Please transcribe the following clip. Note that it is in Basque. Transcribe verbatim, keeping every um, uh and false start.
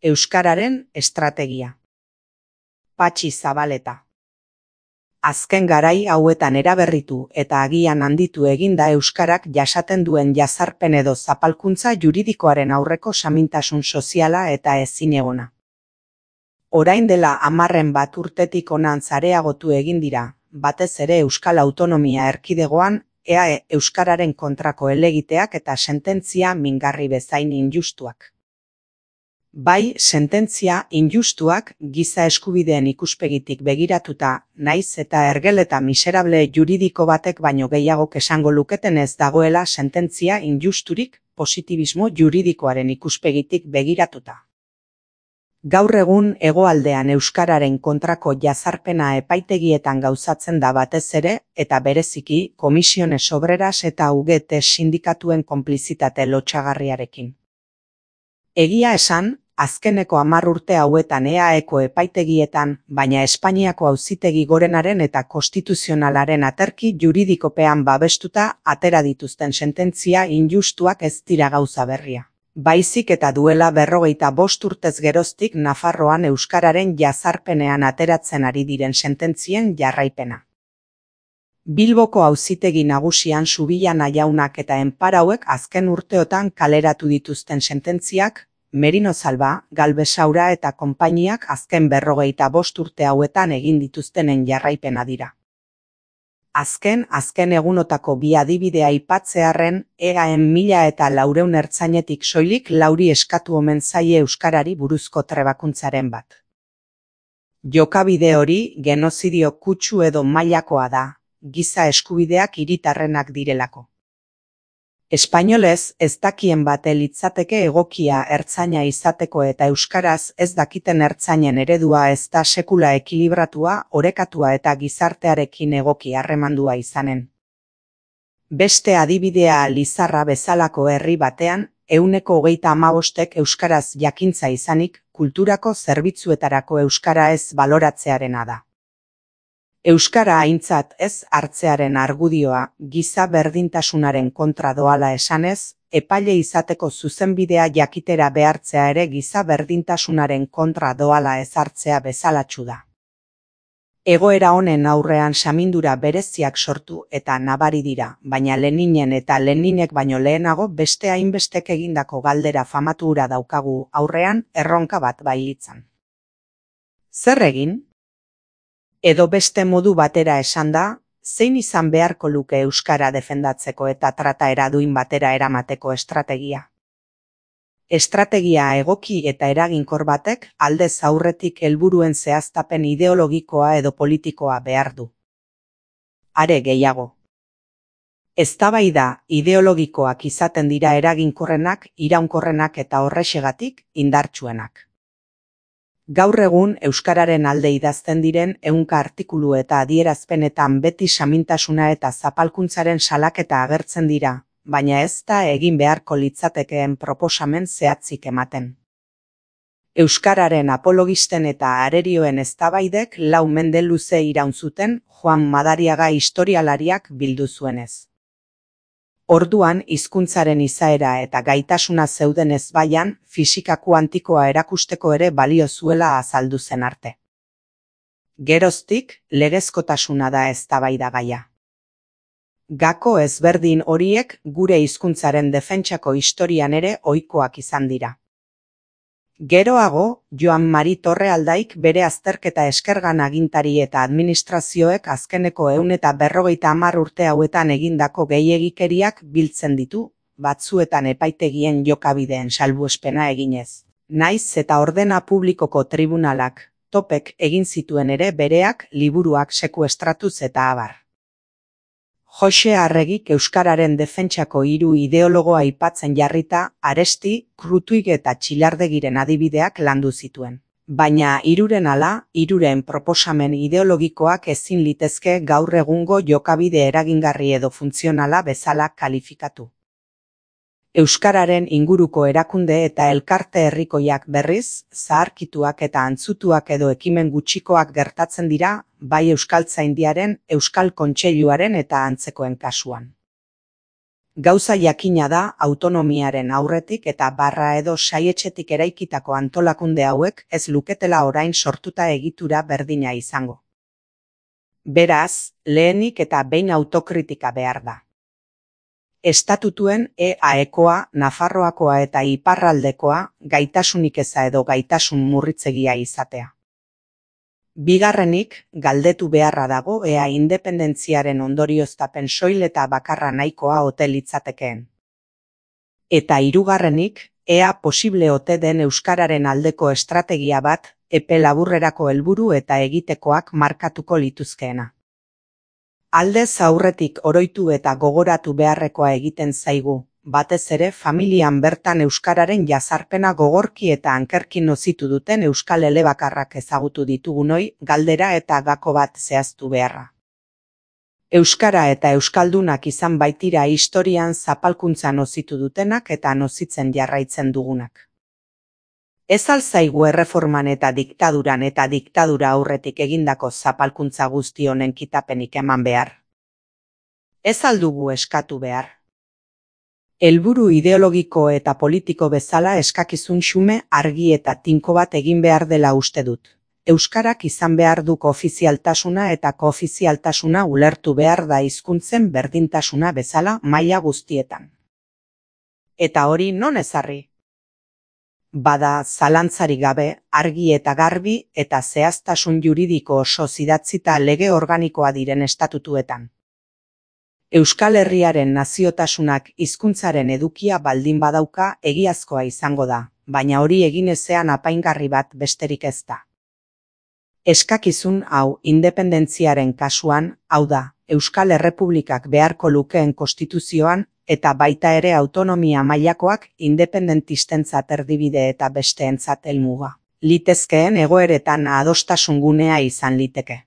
Euskararen estrategia. Patxi Zabaleta. Azken garai hauetan eraberritu eta agian handitu eginda euskarak jasaten duen jazarpen edo zapalkuntza juridikoaren aurreko samintasun soziala eta ezinegona. Orain dela hamarren bat urtetik hona areagotu egin dira, batez ere Euskal Autonomia Erkidegoan, E A E euskararen kontrako helegiteak eta sententzia mingarri bezain injustuak. Bai, sententzia injustuak giza eskubideen ikuspegitik begiratuta, naiz eta ergel eta miserable juridiko batek baino gehiagok esango luketen ez dagoela sententzia injusturik positibismo juridikoaren ikuspegitik begiratuta. Gaur egun hegoaldean euskararen kontrako jazarpena epaitegietan gauzatzen da batez ere, eta bereziki Komisiones Obreras eta U G T sindikatuen konplizitate lotsagarriarekin. Egia esan, azkeneko hamar urte hauetan E A Eko epaitegietan, baina Espainiako Auzitegi Gorenaren eta Konstituzionalaren aterki juridikopean babestuta atera dituzten sententzia injustuak ez dira gauza berria. Baizik eta duela berrogeita bost urtez geroztik Nafarroan euskararen jazarpenean ateratzen ari diren sententzien jarraipena. Bilboko Auzitegi Nagusian Subillana jaunak eta enparauek azken urteotan kaleratu dituzten sententziak, Merino Zalba, Galbesaura eta konpainiak azken berrogeita bost urte hauetan egin dituztenen jarraipena dira. Azken, azken egunotako bi adibidea aipatzearren, egaen mila eta laureun ertzainetik soilik lauri eskatu omen zaie euskarari buruzko trebakuntzaren bat. Jokabide hori genozidio kutsu edo mailakoa da, giza eskubideak hiritarrenak direlako. Espainolez ez dakien bate litzateke egokia ertzaina izateko eta euskaraz ez dakiten ertzainen eredua ez da sekula ekilibratua, orekatua eta gizartearekin egoki harremandua izanen. Beste adibidea Lizarra bezalako herri batean, ehuneko hogeita hamabostek euskaraz jakintza izanik, kulturako zerbitzuetarako euskara ez baloratzearena da. Euskara aintzat ez hartzearen argudioa giza berdintasunaren kontra doala esanez, epaile izateko zuzenbidea jakitera behartzea ere giza berdintasunaren kontra doala ez hartzea bezalatsu da. Egoera honen aurrean samindura bereziak sortu eta nabari dira, baina Leninen eta Leninek baino lehenago beste hainbestek egindako galdera famatu hura daukagu aurrean erronka bat bailitzan. Zer egin? Edo beste modu batera esanda, zein izan beharko luke euskara defendatzeko eta trataera duin batera eramateko estrategia? Estrategia egoki eta eraginkor batek aldez aurretik helburuen zehaztapen ideologikoa edo politikoa behar du. Are gehiago. Eztabaida ideologikoak izaten dira eraginkorrenak, iraunkorrenak eta horrexegatik indartsuenak. Gaur egun euskararen alde idazten diren ehunka artikulu eta adierazpenetan beti samintasuna eta zapalkuntzaren salaketa agertzen dira, baina ez da egin beharko litzatekeen proposamen zehatzik ematen. Euskararen apologisten eta arerioen eztabaidek lau mende luze iraun zuten Juan Madariaga historialariak bildu zuenez. Orduan hizkuntzaren izaera eta gaitasuna zeuden ezbaian fisika kuantikoa erakusteko ere balio zuela azaldu zen arte. Geroztik, legezkotasuna da eztabaidagaia. Gako ezberdin horiek gure hizkuntzaren defentsako historian ere ohikoak izan dira. Geroago, Joan Mari Torrealdaik bere azterketa eskergan agintari eta administrazioek azkeneko ehun eta berrogeita hamar urte hauetan egindako gehiegikeriak biltzen ditu, batzuetan epaitegien jokabideen salbuespena eginez. Naiz eta ordena publikoko tribunalak, topek egin zituen ere bereak liburuak sekuestratuz eta abar. Jose Arregik euskararen defentsako hiru ideologoa aipatzen jarrita, Aresti, Krutuig eta Txilardegiren adibideak landu zituen. Baina hiruren ala, hiruren proposamen ideologikoak ezin litezke gaur egungo jokabide eragingarri edo funtzionala bezala kalifikatu. Euskararen inguruko erakunde eta elkarte herrikoiak berriz, zaharkituak eta antzutuak edo ekimen gutxikoak gertatzen dira, bai Euskaltzaindiaren, Euskal Kontseiluaren eta antzekoen kasuan. Gauza jakina da autonomiaren aurretik eta barra edo saietxetik eraikitako antolakunde hauek ez luketela orain sortuta egitura berdina izango. Beraz, lehenik eta behin autokritika behar da. Estatutuen E A Ekoa, Nafarroakoa eta Iparraldekoa gaitasunik eza edo gaitasun murritzegia izatea. Bigarrenik, galdetu beharra dago ea independentziaren ondorioztapen soil eta bakarra nahikoa ote litzatekeen. Eta hirugarrenik, ea posible ote den euskararen aldeko estrategia bat, epe laburrerako helburu eta egitekoak markatuko lituzkeena. Aldez aurretik oroitu eta gogoratu beharrekoa egiten zaigu, batez ere familian bertan euskararen jazarpena gogorki eta ankerki nozitu duten euskal elebakarrak ezagutu ditugunoi galdera eta gako bat zehaztu beharra. Euskara eta euskaldunak izan baitira historian zapalkuntza nozitu dutenak eta nozitzen jarraitzen dugunak. Ez al zaigu erreforman eta diktaduran eta diktadura aurretik egindako zapalkuntza guzti honen kitapenik eman behar? Ez al dugu eskatu behar? Helburu ideologiko eta politiko bezala eskakizun xume argi eta tinko bat egin behar dela uste dut. Euskarak izan behar du koofizialtasuna eta koofizialtasuna ulertu behar da hizkuntzen berdintasuna bezala maila guztietan. Eta hori non ezarri? Bada, zalantzarik gabe, argi eta garbi eta zehaztasun juridiko oso idatzita lege organikoa diren estatutuetan. Euskal Herriaren naziotasunak hizkuntzaren edukia baldin badauka egiazkoa izango da, baina hori egin ezean apaingarri bat besterik ez da. Eskakizun hau independentziaren kasuan, hau da, Euskal Errepublikak beharko lukeen konstituzioan, eta baita ere autonomia mailakoak independentistentzat erdibide eta besteentzat helmuga litezkeen egoeretan adostasun gunea izan liteke.